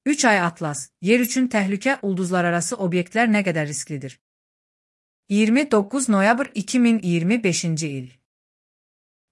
3 ay Atlas, yer üçün təhlükə ulduzlararası obyektlər nə qədər risklidir? 29 noyabr 2025-ci il.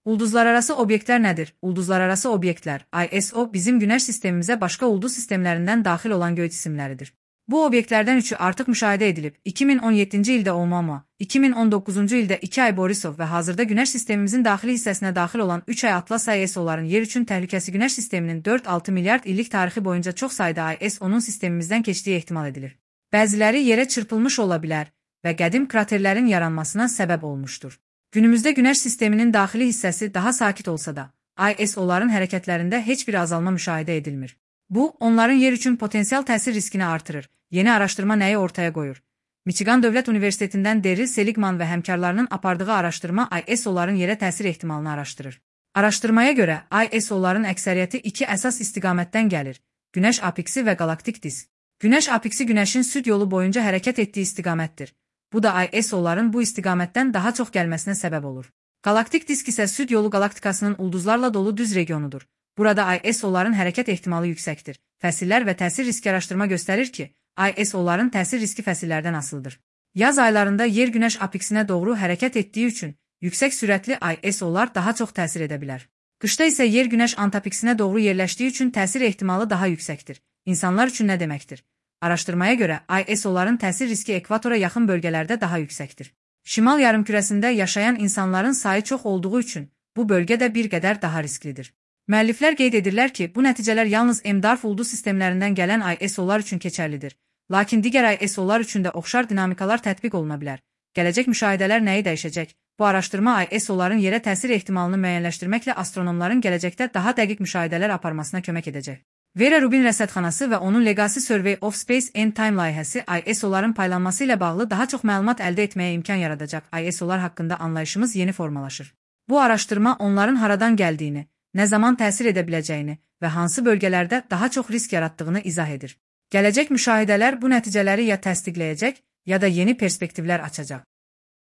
Ulduzlararası obyektlər nədir? Ulduzlararası obyektlər, ISO, bizim Günəş sistemimizə başqa ulduz sistemlərindən daxil olan göy cisimləridir. Bu obyektlərdən üçü artıq müşahidə edilib. 2017-ci ildə Oumuamua, 2019-cu ildə 2 ay Borisov və hazırda Günəş sistemimizin daxili hissəsinə daxil olan 3 ay Atlas ISO'ların yer üçün təhlükəsi Günəş sisteminin 4-6 milyard illik tarixi boyunca çox sayda ISO'nun sistemimizdən keçdiyi ehtimal edilir. Bəziləri yerə çırpılmış ola bilər və qədim kraterlərin yaranmasına səbəb olmuşdur. Günümüzdə Günəş sisteminin daxili hissəsi daha sakit olsa da, ISO'ların hərəkətlərində heç bir azalma müşahidə edilmir. Bu, onların yer üçün potensial təsir riskini artırır. Yeni araşdırma nəyi ortaya qoyur? Michigan Dövlət Universitetindən Daryl Seligman və həmkarlarının apardığı araşdırma ISO'ların yerə təsir ehtimalını araşdırır. Araşdırmaya görə, ISO'ların əksəriyyəti iki əsas istiqamətdən gəlir: Günəş apiksi və qalaktik disk. Günəş apiksi Günəşin süd yolu boyunca hərəkət etdiyi istiqamətdir. Bu da ISO'ların bu istiqamətdən daha çox gəlməsinə səbəb olur. Qalaktik disk isə süd yolu qalaktikasının ulduzlarla dolu düz regionudur. Burada ISO'ların hərəkət ehtimalı yüksəkdir. Fəsillər və təsir riski araşdırma göstərir ki, ISO'ların təsir riski fəsillərdən asılıdır. Yaz aylarında yer Günəş apiksinə doğru hərəkət etdiyi üçün yüksək sürətli ISO'lar daha çox təsir edə bilər. Qışda isə yer Günəş antapiksinə doğru yerləşdiyi üçün təsir ehtimalı daha yüksəkdir. İnsanlar üçün nə deməkdir? Araşdırmaya görə ISO'ların təsir riski ekvatora yaxın bölgələrdə daha yüksəkdir. Şimal yarımkürəsində yaşayan insanların sayı çox olduğu üçün bu bölgə də bir qədər daha risklidir. Müəlliflər qeyd edirlər ki, bu nəticələr yalnız M-DARF ulduz sistemlərindən gələn ISO'lar üçün keçərlidir. Lakin digər ISO'lar üçün də oxşar dinamikalar tətbiq oluna bilər. Gələcək müşahidələr nəyi dəyişəcək? Bu araşdırma ISO'ların yerə təsir ehtimalını müəyyənləşdirməklə astronomların gələcəkdə daha dəqiq müşahidələr aparmasına kömək edəcək. Vera Rubin rəsədxanası və onun Legacy Survey of Space and Time layihəsi ISO'ların paylanması ilə bağlı daha çox məlumat əldə etməyə imkan yaradacaq. ISO'lar haqqında anlayışımız yeni formalaşır. Bu araşdırma onların haradan gəldiyini, nə zaman təsir edə biləcəyini və hansı bölgələrdə daha çox risk yaratdığını izah edir. Gələcək müşahidələr bu nəticələri ya təsdiqləyəcək, ya da yeni perspektivlər açacaq.